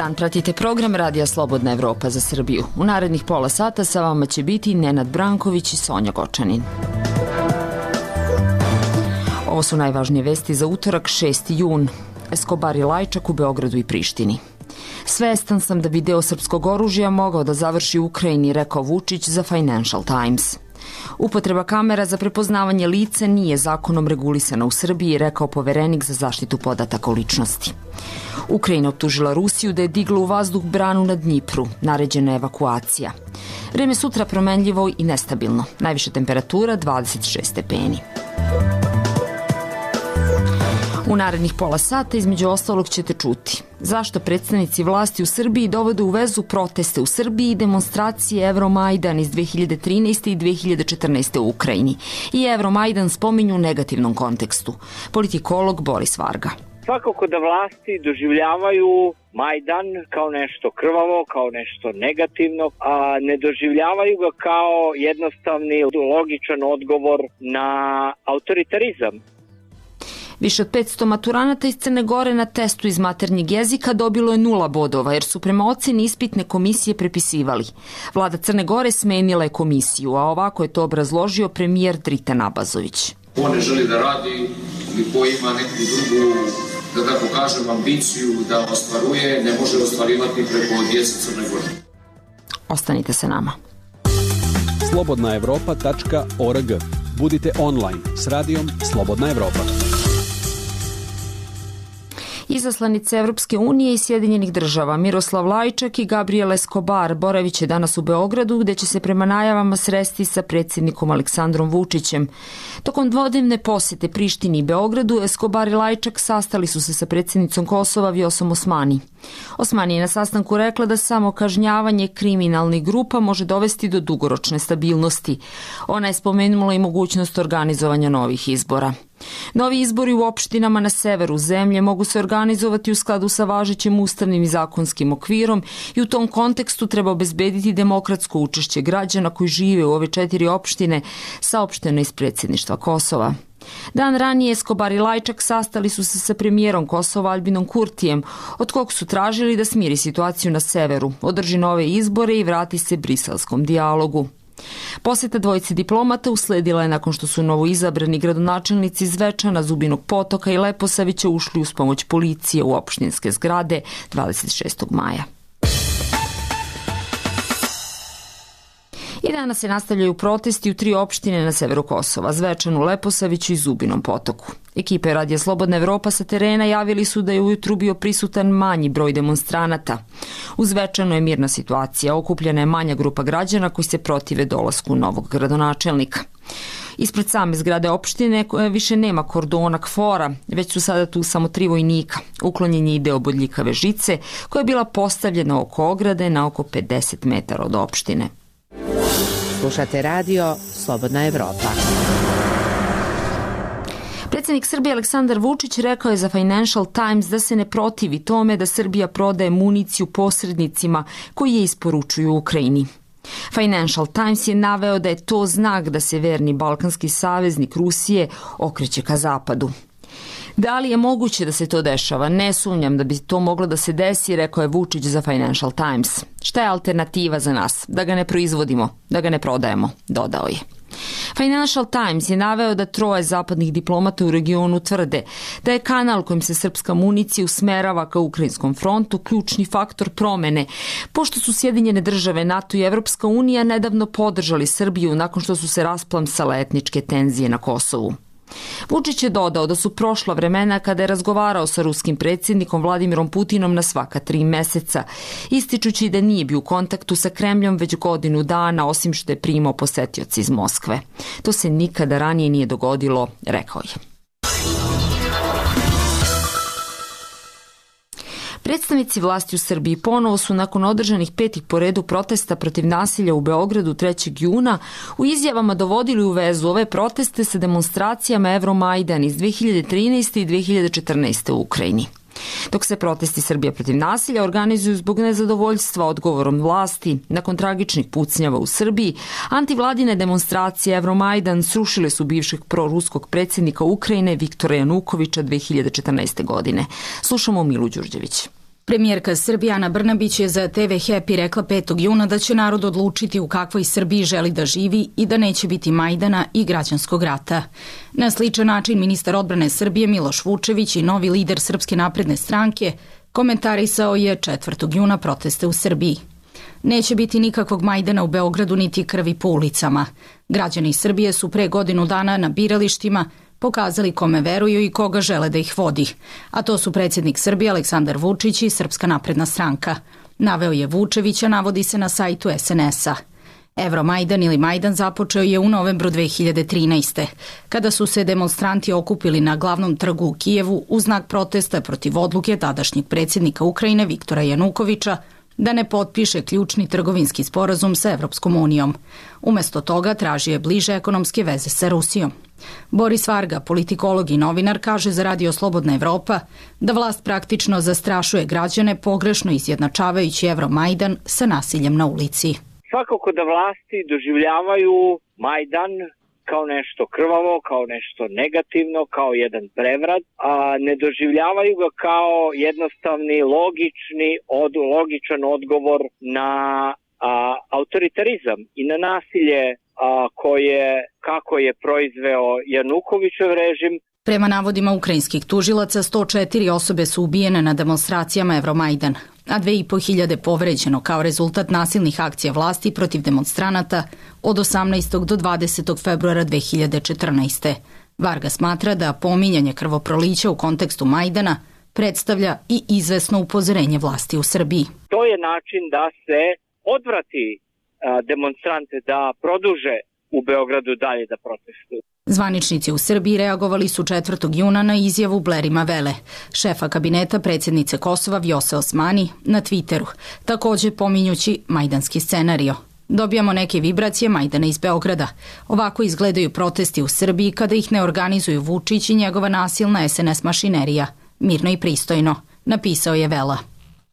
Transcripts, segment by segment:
dan, pratite program Radija Slobodna Evropa za Srbiju. U narednih pola sata sa vama će biti Nenad Branković i Sonja Gočanin. Ovo su najvažnije vesti za utorak 6. jun. Escobar i Lajčak u Beogradu i Prištini. Svestan sam da bi deo srpskog oružja mogao da završi u Ukrajini, rekao Vučić za Financial Times. Upotreba kamera za prepoznavanje lica nije zakonom regulisana u Srbiji, rekao poverenik za zaštitu podataka o ličnosti. Ukrajina optužila Rusiju da je digla u vazduh branu na Dnjipru, naređena evakuacija. Vreme sutra promenljivo i nestabilno, najviša temperatura 26 stepeni. U narednih pola sata između ostalog ćete čuti zašto predstavnici vlasti u Srbiji dovode u vezu proteste u Srbiji i demonstracije Euromajdan iz 2013. i 2014. u Ukrajini. I Euromajdan spominju u negativnom kontekstu. Politikolog Boris Varga. Svakako da vlasti doživljavaju Majdan kao nešto krvavo, kao nešto negativno, a ne doživljavaju ga kao jednostavni, logičan odgovor na autoritarizam. Više od 500 maturanata iz Crne Gore na testu iz maternjeg jezika dobilo je 0 bodova, jer su prema oceni ispitne komisije prepisivali. Vlada Crne Gore smenila je komisiju, a ovako je to obrazložio premijer Dritan Abazović. Ko ne želi da radi ili ko ima neku drugu, da tako kažem, ambiciju da ostvaruje, ne može ostvarivati preko djece Crne Gore. Ostanite sa nama. slobodnaevropa.org. Budite online s radijom Slobodna Evropa. Izaslanice Evropske unije i Sjedinjenih država Miroslav Lajčak i Gabriel Escobar boravit će danas u Beogradu, gde će se prema najavama sresti sa predsjednikom Aleksandrom Vučićem. Tokom dvodnevne posjete Prištini i Beogradu, Escobar i Lajčak sastali su se sa predsjednicom Kosova Vjosom Osmani. Osmani je na sastanku rekla da samo kažnjavanje kriminalnih grupa može dovesti do dugoročne stabilnosti. Ona je spomenula i mogućnost organizovanja novih izbora. Novi izbori u opštinama na severu zemlje mogu se organizovati u skladu sa važećim ustavnim i zakonskim okvirom i u tom kontekstu treba obezbediti demokratsko učešće građana koji žive u ove 4 opštine, saopšteno iz predsjedništva Kosova. Dan ranije Escobar i Lajčak sastali su se sa premijerom Kosova Albinom Kurtijem, od kog su tražili da smiri situaciju na severu, održi nove izbore i vrati se briselskom dijalogu. Posjeta dvojice diplomata usledila je nakon što su novoizabrani gradonačelnici Zvečana, Zubinog Potoka i Leposavića ušli uz pomoć policije u opštinske zgrade 26. maja. I danas se nastavljaju protesti u 3 opštine na severu Kosova, Zvečanu, Leposaviću i Zubinom Potoku. Ekipe Radija Slobodna Evropa sa terena javili su da je ujutru bio prisutan manji broj demonstranata. U Zvečanu je mirna situacija, okupljena je manja grupa građana koji se protive dolasku novog gradonačelnika. Ispred same zgrade opštine više nema kordona KFOR-a, već su sada tu samo 3 vojnika. Uklonjen je i deo bodljikave žice koja je bila postavljena oko ograde na oko 50 metara od opštine. Slušate radio Slobodna Evropa. Predsjednik Srbije Aleksandar Vučić rekao je za Financial Times da se ne protivi tome da Srbija prodaje municiju posrednicima koji je isporučuju Ukrajini. Financial Times je naveo da je to znak da se verni balkanski saveznik Rusije okreće ka zapadu. Da li je moguće da se to dešava? Ne sumnjam da bi to moglo da se desi, rekao je Vučić za Financial Times. Šta je alternativa za nas? Da ga ne proizvodimo, da ga ne prodajemo, dodao je. Financial Times je naveo da 3 zapadnih diplomata u regionu tvrde da je kanal kojim se srpska municija usmerava ka ukrajinskom frontu ključni faktor promene, pošto su Sjedinjene države, NATO i Evropska unija nedavno podržali Srbiju nakon što su se rasplamsale etničke tenzije na Kosovu. Vučić je dodao da su prošla vremena kada je razgovarao sa ruskim predsjednikom Vladimirom Putinom na svaka 3 meseca, ističući da nije bio u kontaktu sa Kremljom već godinu dana, osim što je primao posetioci iz Moskve. To se nikada ranije nije dogodilo, rekao je. Predstavnici vlasti u Srbiji ponovo su nakon održanih 5 po redu protesta protiv nasilja u Beogradu 3. juna u izjavama dovodili u vezu ove proteste sa demonstracijama Euromajdan iz 2013. i 2014. u Ukrajini. Dok se protesti Srbije protiv nasilja organizuju zbog nezadovoljstva odgovorom vlasti nakon tragičnih pucnjava u Srbiji, antivladine demonstracije Euromajdan srušile su bivšeg proruskog predsjednika Ukrajine Viktora Janukoviča 2014. godine. Slušamo Milu Đurđević. Premijerka Srbije Ana Brnabić je za TV Happy rekla 5. juna da će narod odlučiti u kakvoj Srbiji želi da živi i da neće biti Majdana i građanskog rata. Na sličan način ministar odbrane Srbije Miloš Vučević i novi lider Srpske napredne stranke komentarisao je 4. juna proteste u Srbiji. Neće biti nikakvog Majdana u Beogradu niti krvi po ulicama. Građani Srbije su pre godinu dana na biralištima pokazali kome veruju i koga žele da ih vodi, a to su predsjednik Srbije Aleksandar Vučić i Srpska napredna stranka. Naveo je Vučevića, navodi se na sajtu SNS-a. Euromajdan ili Majdan započeo je u novembru 2013. kada su se demonstranti okupili na glavnom trgu u Kijevu u znak protesta protiv odluke tadašnjeg predsjednika Ukrajine Viktora Janukovića da ne potpiše ključni trgovinski sporazum sa Evropskom unijom. Umesto toga tražio je bliže ekonomske veze sa Rusijom. Boris Varga, politikolog i novinar, kaže za Radio Slobodna Evropa da vlast praktično zastrašuje građane pogrešno izjednačavajući Euromajdan sa nasiljem na ulici. Svakako da vlasti doživljavaju Majdan kao nešto krvavo, kao nešto negativno, kao jedan prevrat, a ne doživljavaju ga kao jednostavni, logičan odgovor na autoritarizam i na nasilje kako je proizveo Janukovićev režim. Prema navodima ukrajinskih tužilaca, 104 osobe su ubijene na demonstracijama Euromajdan, a 2500 povređeno kao rezultat nasilnih akcija vlasti protiv demonstranata od 18. do 20. februara 2014. Varga smatra da pominjanje krvoprolića u kontekstu Majdana predstavlja i izvesno upozorenje vlasti u Srbiji. To je način da se odvrati demonstrante da produže u Beogradu dalje da protestuju. Zvaničnici u Srbiji reagovali su 4. juna na izjavu Blerima Vele, šefa kabineta predsjednice Kosova Vjose Osmani, na Twitteru, također pominjući majdanski scenario. Dobijamo neke vibracije Majdana iz Beograda. Ovako izgledaju protesti u Srbiji kada ih ne organizuju Vučić i njegova nasilna SNS mašinerija. Mirno i pristojno, napisao je Vela.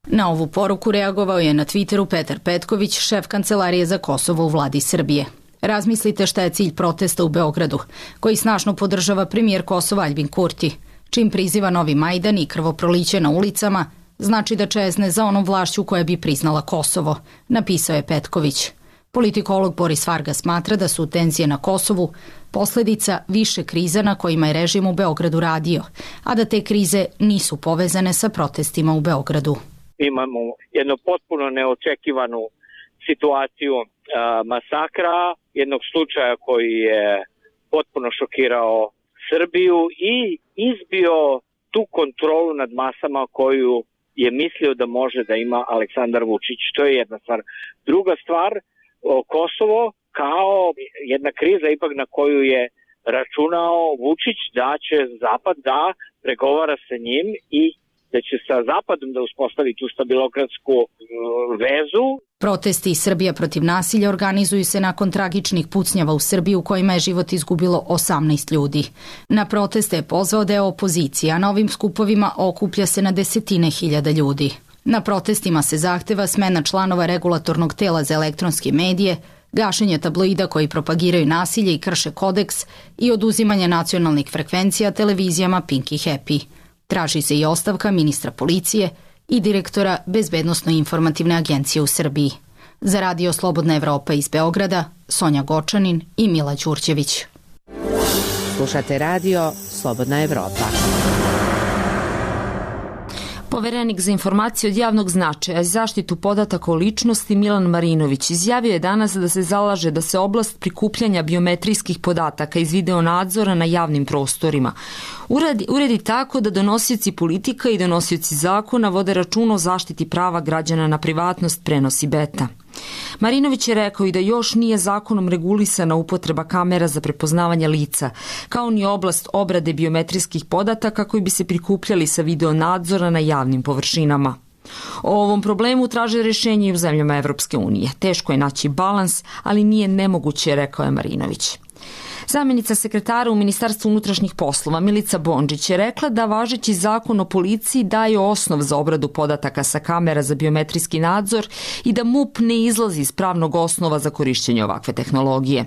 Na ovu poruku reagovao je na Twitteru Petar Petković, šef kancelarije za Kosovo u vladi Srbije. Razmislite šta je cilj protesta u Beogradu, koji snažno podržava premijer Kosova Aljbin Kurti. Čim priziva novi Majdan i krvoproliće na ulicama, znači da čezne za onom vlašću koja bi priznala Kosovo, napisao je Petković. Politikolog Boris Varga smatra da su tenzije na Kosovu posljedica više kriza na kojima je režim u Beogradu radio, a da te krize nisu povezane sa protestima u Beogradu. Imamo jednu potpuno neočekivanu situaciju masakra, jednog slučaja koji je potpuno šokirao Srbiju i izbio tu kontrolu nad masama koju je mislio da može da ima Aleksandar Vučić. To je jedna stvar. Druga stvar, Kosovo kao jedna kriza ipak na koju je računao Vučić da će Zapad da pregovara sa njim i da će sa Zapadom da uspostavi tu stabilokratsku vezu. Protesti Srbija protiv nasilja organizuju se nakon tragičnih pucnjava u Srbiji u kojima je život izgubilo 18 ljudi. Na proteste je pozvao deo opozicije, a na ovim skupovima okuplja se na desetine hiljada ljudi. Na protestima se zahteva smena članova regulatornog tela za elektronske medije, gašenje tabloida koji propagiraju nasilje i krše kodeks i oduzimanje nacionalnih frekvencija televizijama Pink i Happy. Traži se i ostavka ministra policije i direktora Bezbednosno-informativne agencije u Srbiji. Za Radio Slobodna Evropa iz Beograda, Sonja Gočanin i Mila Đurđević. Slušate Radio Slobodna Evropa. Poverenik za informacije od javnog značaja i zaštitu podataka o ličnosti Milan Marinović izjavio je danas da se zalaže da se oblast prikupljanja biometrijskih podataka iz videonadzora na javnim prostorima uredi tako da donosioci politika i donosioci zakona vode računa o zaštiti prava građana na privatnost, prenosi beta. Marinović je rekao i da još nije zakonom regulisana upotreba kamera za prepoznavanje lica, kao ni oblast obrade biometrijskih podataka koji bi se prikupljali sa videonadzora na javnim površinama. O ovom problemu traže rješenje i u zemljama Evropske unije. Teško je naći balans, ali nije nemoguće, rekao je Marinović. Zamjenica sekretara u Ministarstvu unutrašnjih poslova Milica Bondžić je rekla da važeći zakon o policiji daje osnov za obradu podataka sa kamera za biometrijski nadzor i da MUP ne izlazi iz pravnog osnova za korišćenje ovakve tehnologije.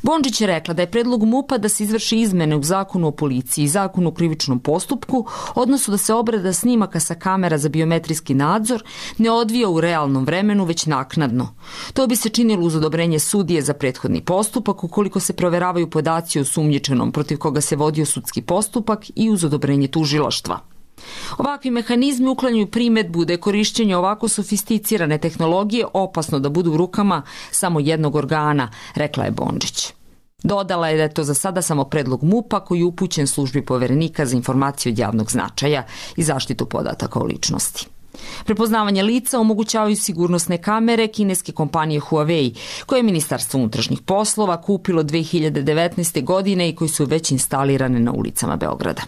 Bondžić je rekla da je predlog MUP-a da se izvrši izmene u zakonu o policiji i zakonu o krivičnom postupku, odnosno da se obrada snimaka sa kamera za biometrijski nadzor ne odvija u realnom vremenu, već naknadno. To bi se činilo uz odobrenje sudije za prethodni postupak ukoliko se proveravaju podaci o osumnjičenom protiv koga se vodio sudski postupak i uz odobrenje tužilaštva. Ovakvi mehanizmi uklanjaju primedbu da je korišćenje ovako sofisticirane tehnologije opasno da budu u rukama samo jednog organa, rekla je Bondžić. Dodala je da je to za sada samo predlog MUP-a koji je upućen službi Poverenika za informacije od javnog značaja i zaštitu podataka o ličnosti. Prepoznavanje lica omogućavaju sigurnosne kamere kineske kompanije Huawei, koje je Ministarstvo unutrašnjih poslova kupilo 2019. godine i koji su već instalirane na ulicama Beograda.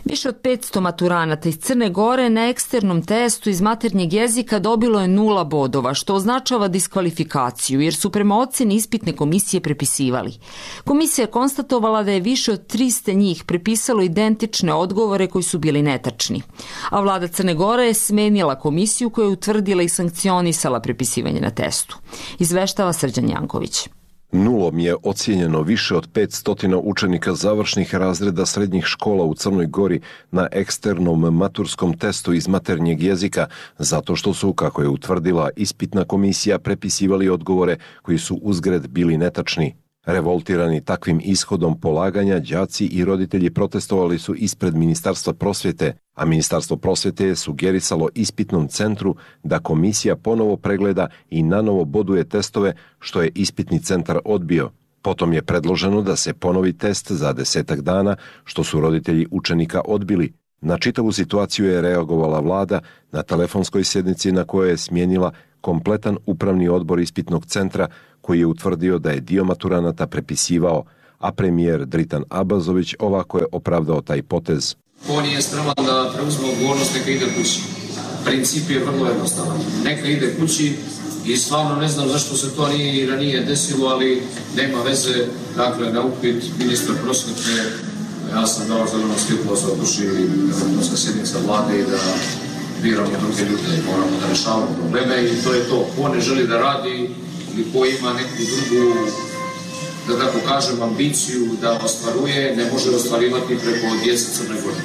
Više od 500 maturanata iz Crne Gore na eksternom testu iz maternjeg jezika dobilo je 0 bodova, što označava diskvalifikaciju, jer su prema oceni ispitne komisije prepisivali. Komisija je konstatovala da je više od 300 njih prepisalo identične odgovore koji su bili netačni. A vlada Crne Gore je smenila komisiju koja je utvrdila i sankcionisala prepisivanje na testu. Izveštava Srđan Janković. Nulom je ocijenjeno više od 500 učenika završnih razreda srednjih škola u Crnoj Gori na eksternom maturskom testu iz maternjeg jezika, zato što su, kako je utvrdila ispitna komisija, prepisivali odgovore koji su uzgred bili netačni. Revoltirani takvim ishodom polaganja, đaci i roditelji protestovali su ispred Ministarstva prosvjete, a Ministarstvo prosvjete je sugerisalo ispitnom centru da komisija ponovo pregleda i nanovo boduje testove, što je ispitni centar odbio. Potom je predloženo da se ponovi test za 10 dana, što su roditelji učenika odbili. Na čitavu situaciju je reagovala vlada na telefonskoj sjednici na kojoj je smijenila kompletan upravni odbor ispitnog centra koji je utvrdio da je dio maturanata prepisivao, a premijer Dritan Abazović ovako je opravdao taj potez. Ko nije spreman da preuzme odgovornost, neka ide kući. Princip je vrlo jednostavan. Neka ide kući i stvarno ne znam zašto se to nije ranije desilo, ali nema veze. Dakle, na upit ministra prosvjete, ja sam dao zeleno svjetlo za odlučili elektronska sjednica vlade i da biramo druge ljude, moramo da rešavamo probleme i to je to. Ko ne želi da radi ili ko ima neku drugu, da tako kažem, ambiciju da ostvaruje, ne može ostvarivati preko djece Crne Gore.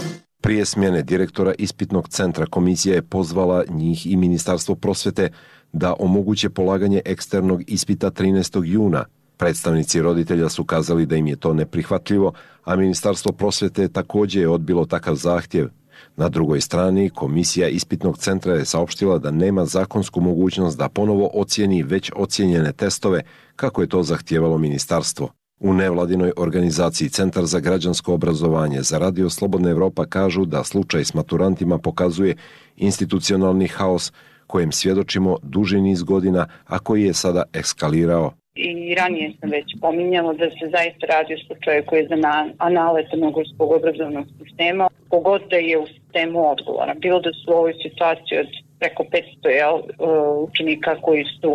Prije smjene direktora ispitnog centra komisija je pozvala njih i Ministarstvo prosvjete da omoguće polaganje eksternog ispita 13. juna. Predstavnici roditelja su kazali da im je to neprihvatljivo, a Ministarstvo prosvjete također je odbilo takav zahtjev. Na drugoj strani, komisija ispitnog centra je saopštila da nema zakonsku mogućnost da ponovo ocijeni već ocijenjene testove, kako je to zahtijevalo ministarstvo. U nevladinoj organizaciji Centar za građansko obrazovanje za Radio Slobodna Evropa kažu da slučaj s maturantima pokazuje institucionalni haos kojem svjedočimo duži niz godina, a koji je sada eskalirao. I ranije sam već pominjala da se zaista radi o slučaju koji je za anale crnogorskog obrazovnog sistema, pogod da je u sistemu odgovora. Bilo da su u ovoj situaciji od preko 500 učenika koji su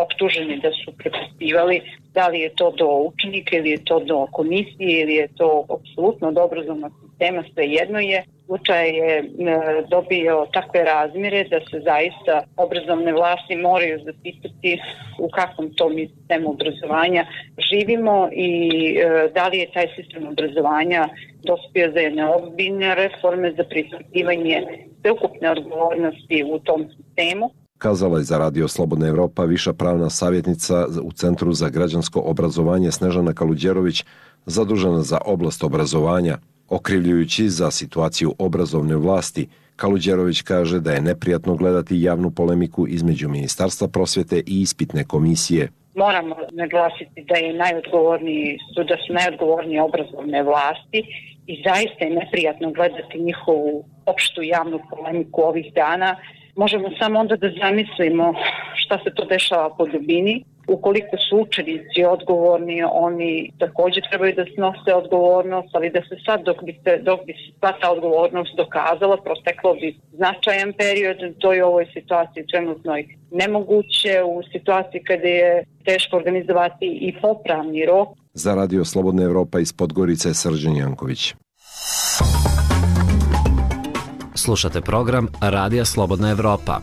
optuženi da su prepisivali, da li je to do učenika ili je to do komisije ili je to apsolutno do obrazovnog sistema, svejedno je. Slučaj je dobio takve razmjere da se zaista obrazovne vlasti moraju zapitati u kakvom to mi sistemu obrazovanja živimo i da li je taj sistem obrazovanja dospio za jedne ozbiljne reforme, za preispitivanje sveukupne odgovornosti u tom sistemu. Kazala je za Radio Slobodna Evropa viša pravna savjetnica u Centru za građansko obrazovanje Snežana Kaluđerović, zadužena za oblast obrazovanja. Okrivljujući za situaciju obrazovne vlasti, Kaluđerović kaže da je neprijatno gledati javnu polemiku između Ministarstva prosvjete i ispitne komisije. Moramo naglasiti da su najodgovorniji obrazovne vlasti i zaista je neprijatno gledati njihovu opštu javnu polemiku ovih dana. Možemo samo onda da zamislimo šta se to dešava po dubini. Ukoliko su učenici odgovorni, oni također trebaju da snose odgovornost, ali da se sad dok bi se sva ta odgovornost dokazala, proteklo bi značajan period. To je u ovoj situaciji trenutno nemoguće, u situaciji kada je teško organizovati i popravni rok. Za Radio Slobodna Evropa iz Podgorice, Srđan Janković. Slušate program Radija Slobodna Evropa.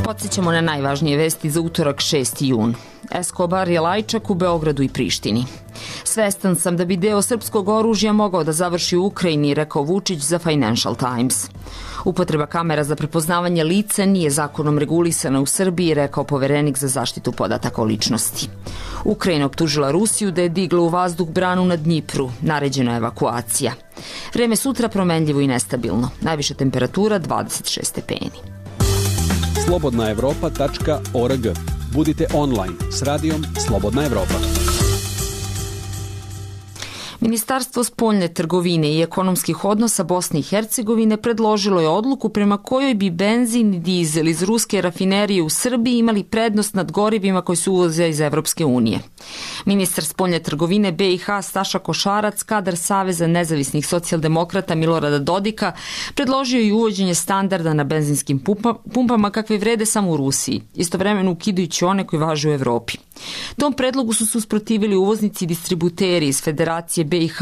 Podsjećamo na najvažnije vesti za utorak 6. jun. Escobar je lajčak u Beogradu i Prištini. Svestan sam da bi deo srpskog oružja mogao da završi u Ukrajini, rekao Vučić za Financial Times. Upotreba kamera za prepoznavanje lica nije zakonom regulisana u Srbiji, rekao poverenik za zaštitu podataka o ličnosti. Ukrajina optužila Rusiju da je digla u vazduh branu na Dnjipru. Naređena je evakuacija. Vreme sutra promenljivo i nestabilno. Najviša temperatura 26 stepeni. slobodnaevropa.org. Budite online s radijom Slobodna Evropa. Ministarstvo spoljne trgovine i ekonomskih odnosa Bosne i Hercegovine predložilo je odluku prema kojoj bi benzin i dizel iz ruske rafinerije u Srbiji imali prednost nad gorivima koji se uvoze iz Evropske unije. Ministar spoljne trgovine BiH Staša Košarac, kadar Saveza nezavisnih socijaldemokrata Milorada Dodika, predložio i uvođenje standarda na benzinskim pumpama kakve vrede samo u Rusiji, istovremeno ukidajući one koji važe u Evropi. Tom predlogu su se usprotivili uvoznici i distributeri iz Federacije BiH,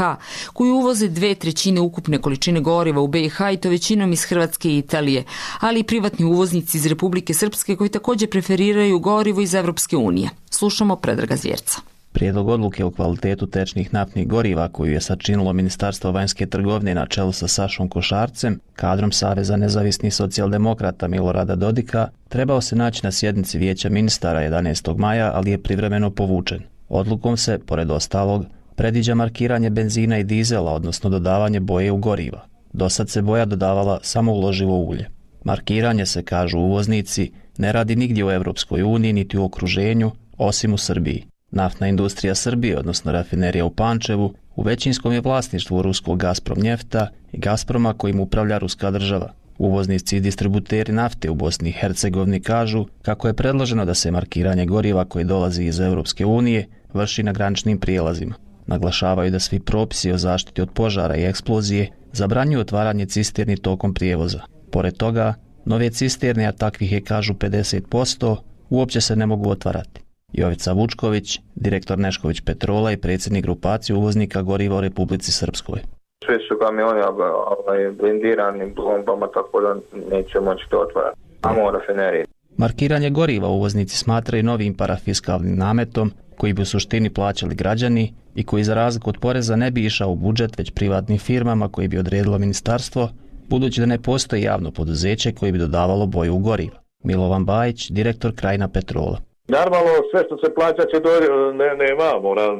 koji uvoze 2/3 ukupne količine goriva u BiH i to većinom iz Hrvatske i Italije, ali i privatni uvoznici iz Republike Srpske koji također preferiraju gorivo iz Evropske unije. Slušamo Predraga Zvjerca. Prijedlog odluke o kvalitetu tečnih naftnih goriva koju je sačinilo Ministarstvo vanjske trgovine na čelu sa Sašom Košarcem, kadrom Saveza nezavisnih socijaldemokrata Milorada Dodika, trebao se naći na sjednici Vijeća ministara 11. maja, ali je privremeno povučen. Odlukom se, pored ostalog, predviđa markiranje benzina i dizela, odnosno dodavanje boje u goriva. Dosad se boja dodavala samo u loživo ulje. Markiranje se, kažu uvoznici, ne radi nigdje u Evropskoj uniji niti u okruženju, osim u Srbiji. Naftna industrija Srbije, odnosno rafinerija u Pančevu, u većinskom je vlasništvu ruskog Gazprom Njefta i Gazproma kojim upravlja ruska država. Uvoznici i distributeri nafte u Bosni i Hercegovini kažu kako je predloženo da se markiranje goriva koje dolazi iz Evropske unije vrši na graničnim prijelazima. Naglašavaju da svi propisi o zaštiti od požara i eksplozije zabranjuju otvaranje cisterni tokom prijevoza. Pored toga, nove cisterne, a takvih je kažu 50%, uopće se ne mogu otvarati. Jovica Vučković, direktor Nešković Petrola i predsjednik grupacije uvoznika goriva u Republici Srpskoj. Svi su kamioni blindirani bombama, tako da neće moći to otvarati. Samo rafinerije. Markiranje goriva uvoznici smatraju novim parafiskalnim nametom koji bi u suštini plaćali građani i koji za razliku od poreza ne bi išao u budžet već privatnim firmama koji bi odredilo ministarstvo, budući da ne postoji javno poduzeće koje bi dodavalo boju u goriva. Milovan Bajić, direktor Krajina Petrola. Normalno, sve što se plaća će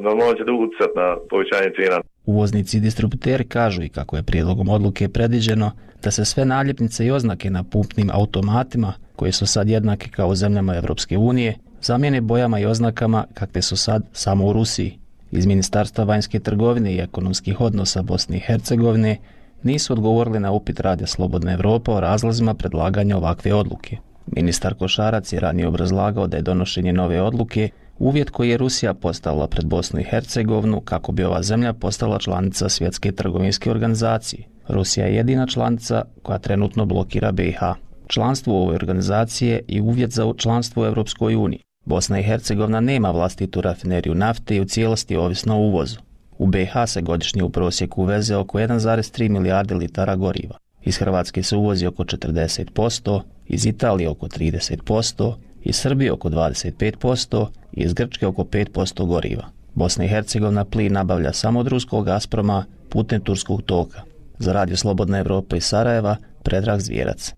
ne može utjecati na povećanje cijena. Uvoznici i distributeri kažu i kako je prijedlogom odluke predviđeno da se sve naljepnice i oznake na pumpnim automatima, koje su sad jednake kao u zemljama Evropske unije, zamijene bojama i oznakama kakve su sad samo u Rusiji. Iz Ministarstva vanjske trgovine i ekonomskih odnosa Bosne i Hercegovine nisu odgovorili na upit Radija Slobodna Evropa o razlozima predlaganja ovakve odluke. Ministar Košarac je ranije obrazlagao da je donošenje nove odluke uvjet koji je Rusija postavila pred Bosnu i Hercegovinu kako bi ova zemlja postala članica Svjetske trgovinske organizacije. Rusija je jedina članica koja trenutno blokira BiH. Članstvo u ovoj organizaciji je i uvjet za članstvo u Europskoj uniji. Bosna i Hercegovina nema vlastitu rafineriju nafte i u cijelosti ovisno o uvozu. U BiH se godišnje u prosjeku uveze oko 1,3 milijarde litara goriva. Iz Hrvatske se uvozi oko 40%, iz Italije oko 30%, iz Srbije oko 25% i iz Grčke oko 5% goriva. Bosna i Hercegovina plin nabavlja samo od ruskog Gazproma putem turskog toka. Za Radio Slobodna Evropa iz Sarajeva, Predrag Zvjerac.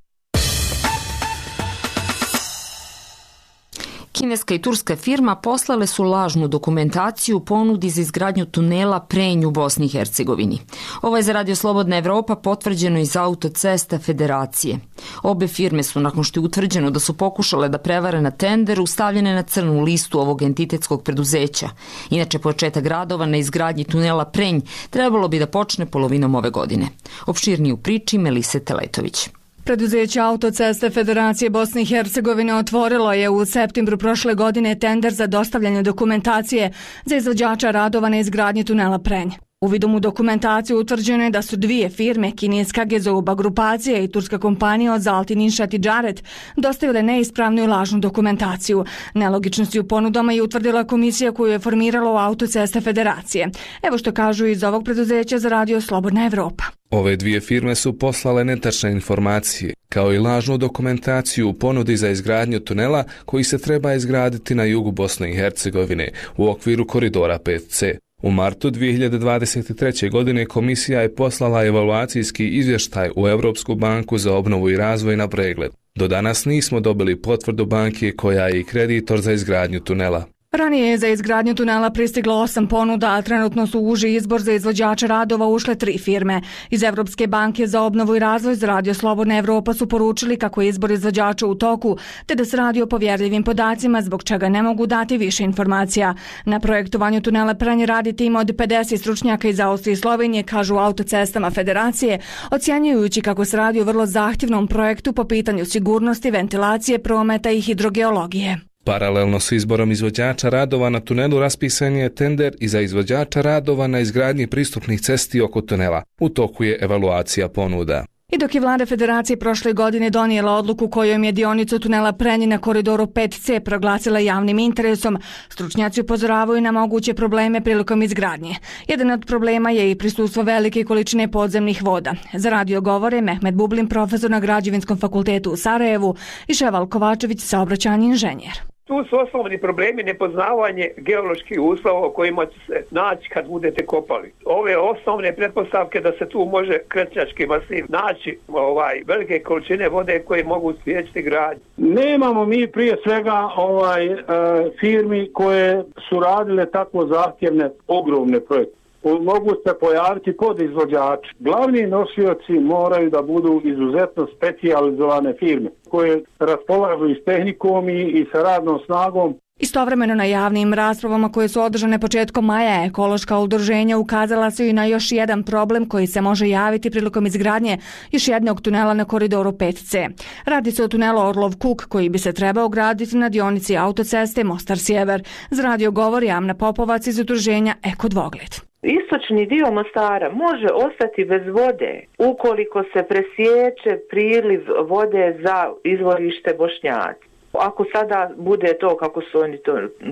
Kineska i turska firma poslale su lažnu dokumentaciju u ponudi za izgradnju tunela Prenj u Bosni i Hercegovini. Ovo je za Radio Slobodna Evropa potvrđeno iz Autocesta Federacije. Obe firme su, nakon što je utvrđeno da su pokušale da prevare na tenderu, stavljene na crnu listu ovog entitetskog preduzeća. Inače, početak radova na izgradnji tunela Prenj trebalo bi da počne polovinom ove godine. Opširnije u priči Melise Teletović. Preduzeće Autoceste Federacije Bosne i Hercegovine otvorilo je u septembru prošle godine tender za dostavljanje dokumentacije za izvođača radova na izgradnji tunela Prenj. Uvidom u dokumentaciju utvrđeno je da su dvije firme, kineska Gezouba grupacija i turska kompanija od Zaltin Inšat i Džaret, dostavile neispravnu i lažnu dokumentaciju. Nelogičnosti u ponudama je utvrdila komisija koju je formiralo Autoceste Federacije. Evo što kažu iz ovog preduzeća za Radio Slobodna Evropa. Ove dvije firme su poslale netačne informacije, kao i lažnu dokumentaciju u ponudi za izgradnju tunela koji se treba izgraditi na jugu Bosne i Hercegovine u okviru koridora 5C. U martu 2023. godine komisija je poslala evaluacijski izvještaj u Europsku banku za obnovu i razvoj na pregled. Do danas nismo dobili potvrdu banke koja je i kreditor za izgradnju tunela. Ranije je za izgradnju tunela pristiglo 8 ponuda, a trenutno su u uži izbor za izvođača radova ušle 3 firme. Iz Evropske banke za obnovu i razvoj za Radio Slobodna Evropa su poručili kako je izbor izvođača u toku, te da se radi o povjerljivim podacima, zbog čega ne mogu dati više informacija. Na projektovanju tunela Prenje radi tim od 50 stručnjaka iz Austrije i Slovenije, kažu u Autocestama Federacije, ocjenjujući kako se radi o vrlo zahtjevnom projektu po pitanju sigurnosti, ventilacije, prometa i hidrogeologije. Paralelno s izborom izvođača radova na tunelu raspisan je tender i za izvođača radova na izgradnji pristupnih cesti oko tunela. U toku je evaluacija ponuda. I dok je vlada Federacije prošle godine donijela odluku kojom je dionicu tunela Prenje na koridoru 5C proglasila javnim interesom, stručnjaci upozoravaju na moguće probleme prilikom izgradnje. Jedan od problema je i prisustvo velike količine podzemnih voda. Za radio govore Mehmet Bublin, profesor na Građevinskom fakultetu u Sarajevu, i Ševal Kovačević, saobraćajni inženjer. Tu su osnovni problemi nepoznavanje geoloških uslova o kojima će se naći kad budete kopali. Ove osnovne pretpostavke da se tu može krečnjački masiv naći velike količine vode koje mogu spriječiti gradnju. Nemamo mi prije svega firmi koje su radile tako zahtjevne, ogromne projekte. Mogu se pojaviti podizvođači. Glavni nosioci moraju da budu izuzetno specijalizovane firme koje raspolažu i s tehnikom i sa radnom snagom. Istovremeno na javnim raspravama koje su održane početkom maja, ekološka udruženja ukazala su i na još jedan problem koji se može javiti prilikom izgradnje još jednog tunela na koridoru 5C. Radi se o tunelu Orlov Kuk koji bi se trebao graditi na dionici autoceste Mostar Sjever. Za radio govori Amna Popovac iz udruženja Eko Dvogled. Istočni dio Mostara može ostati bez vode ukoliko se presječe priliv vode za izvorište Bošnjaci. Ako sada bude to kako su oni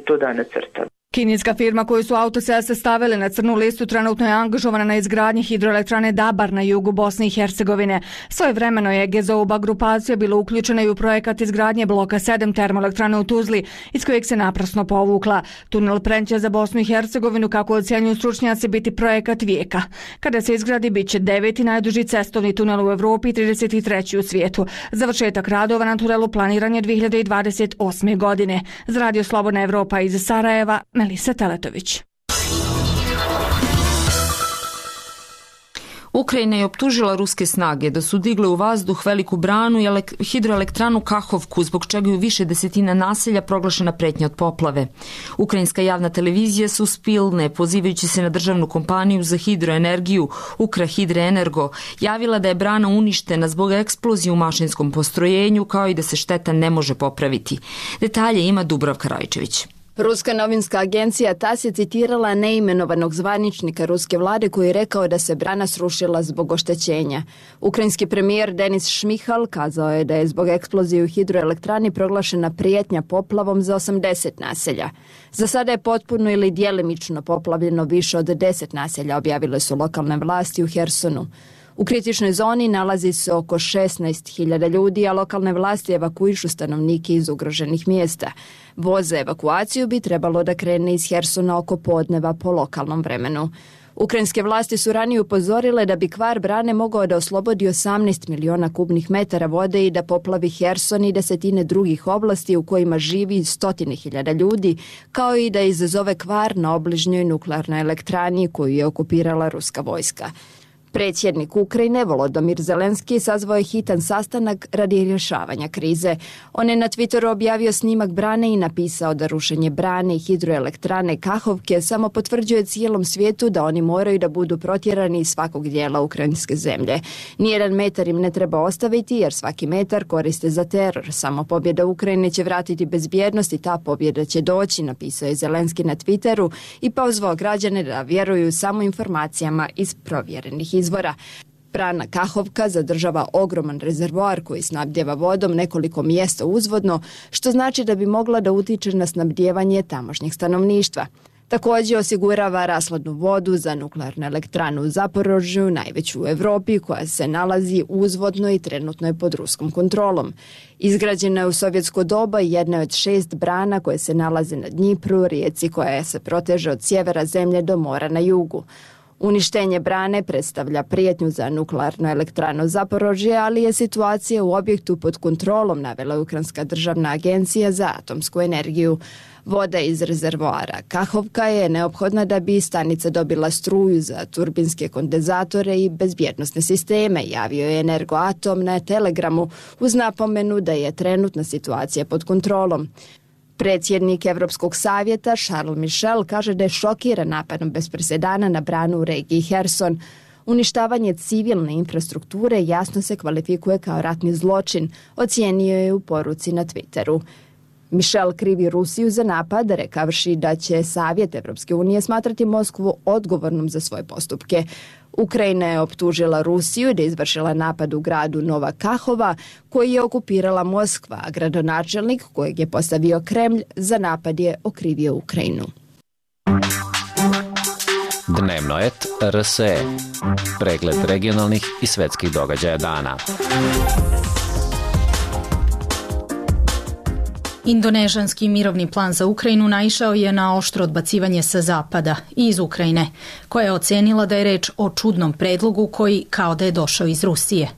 to danas crtali. Kineska firma koju su autoceste stavile na crnu listu trenutno je angažovana na izgradnji hidroelektrane Dabar na jugu Bosne i Hercegovine. Svojevremeno je Gezouba grupacija bila uključena i u projekat izgradnje bloka 7 termoelektrane u Tuzli, iz kojeg se naprasno povukla. Tunel Prenje za Bosnu i Hercegovinu, kako ocjenjuju stručnjaci, biti projekat vijeka. Kada se izgradi, bit će 9. najduži cestovni tunel u Evropi i 33. u svijetu. Završetak radova na tunelu planiran je 2028. godine. Za Radio Slobodna Evropa iz Sarajeva, Melisa Teletović. Ukrajina je optužila ruske snage da su digle u vazduh veliku branu i hidroelektranu Kahovku, zbog čega je u više desetina naselja proglašena pretnja od poplave. Ukrajinska javna televizija Suspilne, pozivajući se na državnu kompaniju za hidroenergiju Ukrahidroenergo, javila da je brana uništena zbog eksplozije u mašinskom postrojenju, kao i da se šteta ne može popraviti. Detalje ima Dubravka Rajčević. Ruska novinska agencija TAS je citirala neimenovanog zvaničnika ruske vlade koji je rekao da se brana srušila zbog oštećenja. Ukrajinski premijer Denis Šmihal kazao je da je zbog eksplozije u hidroelektrani proglašena prijetnja poplavom za 80 naselja. Za sada je potpuno ili djelimično poplavljeno više od 10 naselja, objavile su lokalne vlasti u Hersonu. U kritičnoj zoni nalazi se oko 16.000 ljudi, a lokalne vlasti evakuišu stanovnike iz ugroženih mjesta. Voz za evakuaciju bi trebalo da krene iz Hersona oko podneva po lokalnom vremenu. Ukrajinske vlasti su ranije upozorile da bi kvar brane mogao da oslobodi 18 miliona kubnih metara vode i da poplavi Herson i desetine drugih oblasti u kojima živi 100.000 ljudi, kao i da izazove kvar na obližnjoj nuklearnoj elektrani koju je okupirala ruska vojska. Predsjednik Ukrajine Volodymyr Zelenski sazvao je hitan sastanak radi rješavanja krize. On je na Twitteru objavio snimak brane i napisao da rušenje brane i hidroelektrane Kahovke samo potvrđuje cijelom svijetu da oni moraju da budu protjerani iz svakog dijela ukrajinske zemlje. Nijedan metar im ne treba ostaviti jer svaki metar koriste za teror. Samo pobjeda Ukrajine će vratiti bezbjednost i ta pobjeda će doći, napisao je Zelenski na Twitteru i pozvao građane da vjeruju samo informacijama iz provjerenih izvora. Brana Kahovka zadržava ogroman rezervoar koji snabdjeva vodom nekoliko mjesta uzvodno, što znači da bi mogla da utiče na snabdjevanje tamošnjeg stanovništva. Također osigurava rashladnu vodu za nuklearnu elektranu u Zaporožju, najveću u Evropi, koja se nalazi uzvodno i trenutno je pod ruskom kontrolom. Izgrađena je u sovjetsko doba i jedna od 6 brana koje se nalaze na Dnjipru, rijeci koja se proteže od sjevera zemlje do mora na jugu. Uništenje brane predstavlja prijetnju za nuklearnu elektranu Zaporožje, ali je situacija u objektu pod kontrolom, navela Ukrajinska državna agencija za atomsku energiju. Voda iz rezervoara Kahovka je neophodna da bi stanica dobila struju za turbinske kondenzatore i bezbjednosne sisteme, javio je Energoatom na Telegramu uz napomenu da je trenutna situacija pod kontrolom. Predsjednik Evropskog savjeta Charles Michel kaže da je šokiran napadom bez presedana na branu u regiji Herson. Uništavanje civilne infrastrukture jasno se kvalifikuje kao ratni zločin, ocijenio je u poruci na Twitteru. Michel krivi Rusiju za napad, rekavši da će Savjet Evropske unije smatrati Moskvu odgovornom za svoje postupke. Ukrajina je optužila Rusiju da je izvršila napad u gradu Nova Kahova, koji je okupirala Moskva, a gradonačelnik kojeg je postavio Kremlj za napad je okrivio Ukrajinu. Dnevno et RSE. Pregled regionalnih i svetskih događaja dana. Indonežanski mirovni plan za Ukrajinu naišao je na oštro odbacivanje sa zapada i iz Ukrajine, koja je ocenila da je reč o čudnom predlogu koji kao da je došao iz Rusije.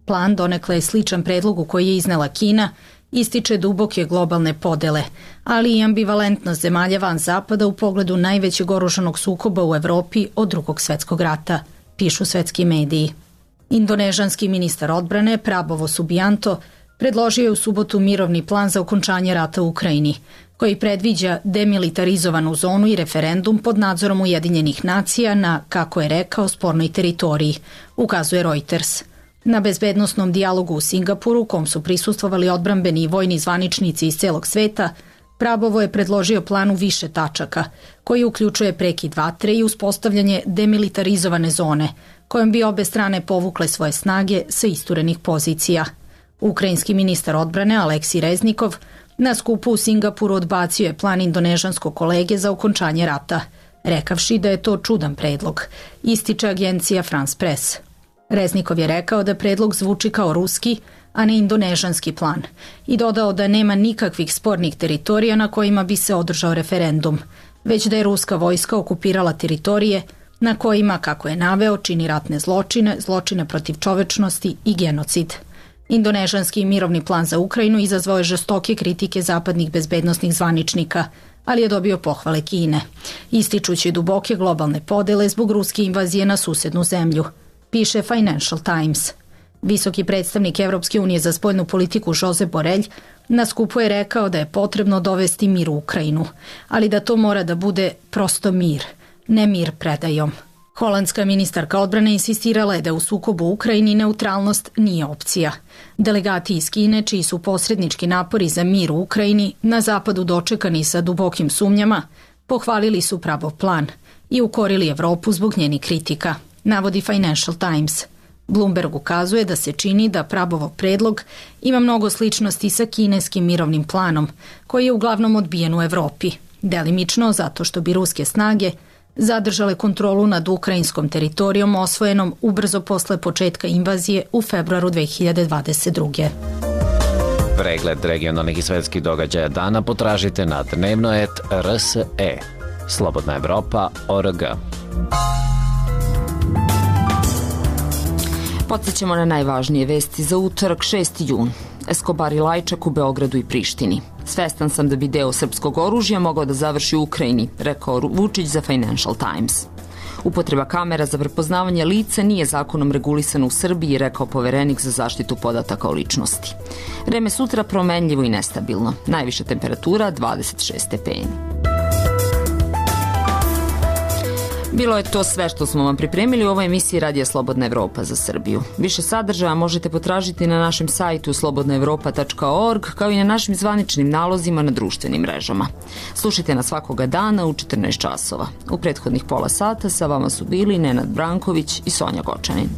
Plan, donekle je sličan predlogu koji je iznela Kina, ističe duboke globalne podele, ali i ambivalentnost zemalja van zapada u pogledu najvećeg oružanog sukoba u Evropi od Drugog svjetskog rata, pišu svetski mediji. Indonežanski ministar odbrane Prabowo Subianto predložio je u subotu mirovni plan za okončanje rata u Ukrajini, koji predviđa demilitarizovanu zonu i referendum pod nadzorom Ujedinjenih nacija na, kako je rekao, spornoj teritoriji, ukazuje Reuters. Na bezbednosnom dijalogu u Singapuru, kom su prisustvovali odbrambeni i vojni zvaničnici iz celog sveta, Prabowo je predložio plan u više tačaka, koji uključuje prekid vatre i uspostavljanje demilitarizovane zone, kojom bi obe strane povukle svoje snage sa isturenih pozicija. Ukrajinski ministar odbrane Aleksij Reznikov na skupu u Singapuru odbacio je plan indonežanskog kolege za okončanje rata, rekavši da je to čudan predlog, ističe agencija France Press. Reznikov je rekao da predlog zvuči kao ruski, a ne indonežanski plan, i dodao da nema nikakvih spornih teritorija na kojima bi se održao referendum, već da je ruska vojska okupirala teritorije na kojima, kako je naveo, čini ratne zločine, zločine protiv čovečnosti i genocid. Indonežanski mirovni plan za Ukrajinu izazvao je žestoke kritike zapadnih bezbednosnih zvaničnika, ali je dobio pohvale Kine, ističući duboke globalne podele zbog ruske invazije na susednu zemlju, piše Financial Times. Visoki predstavnik Evropske unije za spoljnu politiku Josep Borrell na skupu je rekao da je potrebno dovesti mir u Ukrajinu, ali da to mora da bude prosto mir, ne mir predajom. Holandska ministarka odbrane insistirala je da u sukobu u Ukrajini neutralnost nije opcija. Delegati iz Kine, čiji su posrednički napori za mir u Ukrajini na zapadu dočekani sa dubokim sumnjama, pohvalili su Pravov plan i ukorili Evropu zbog njenih kritika, navodi Financial Times. Bloomberg ukazuje da se čini da Pravov predlog ima mnogo sličnosti sa kineskim mirovnim planom, koji je uglavnom odbijen u Evropi, delimično zato što bi ruske snage zadržale kontrolu nad ukrajinskom teritorijom osvojenom ubrzo posle početka invazije u februaru 2022. Pregled regionalnih i svetskih događaja dana potražite na dnevno.rs.e. Slobodna Evropa.org. Podsjećamo na najvažnije vesti za utorak 6. jun. Escobar i Lajčak u Beogradu i Prištini. Svestan sam da bi deo srpskog oružja mogao da završi u Ukrajini, rekao Vučić za Financial Times. Upotreba kamera za prepoznavanje lica nije zakonom regulisana u Srbiji, rekao poverenik za zaštitu podataka o ličnosti. Vreme sutra promenljivo i nestabilno. Najviša temperatura 26 stepeni. Bilo je to sve što smo vam pripremili u ovoj emisiji Radija Slobodna Evropa za Srbiju. Više sadržaja možete potražiti na našem sajtu slobodnaevropa.org, kao i na našim zvaničnim nalozima na društvenim mrežama. Slušajte nas svakoga dana u 14 časova. U prethodnih pola sata sa vama su bili Nenad Branković i Sonja Gočanin.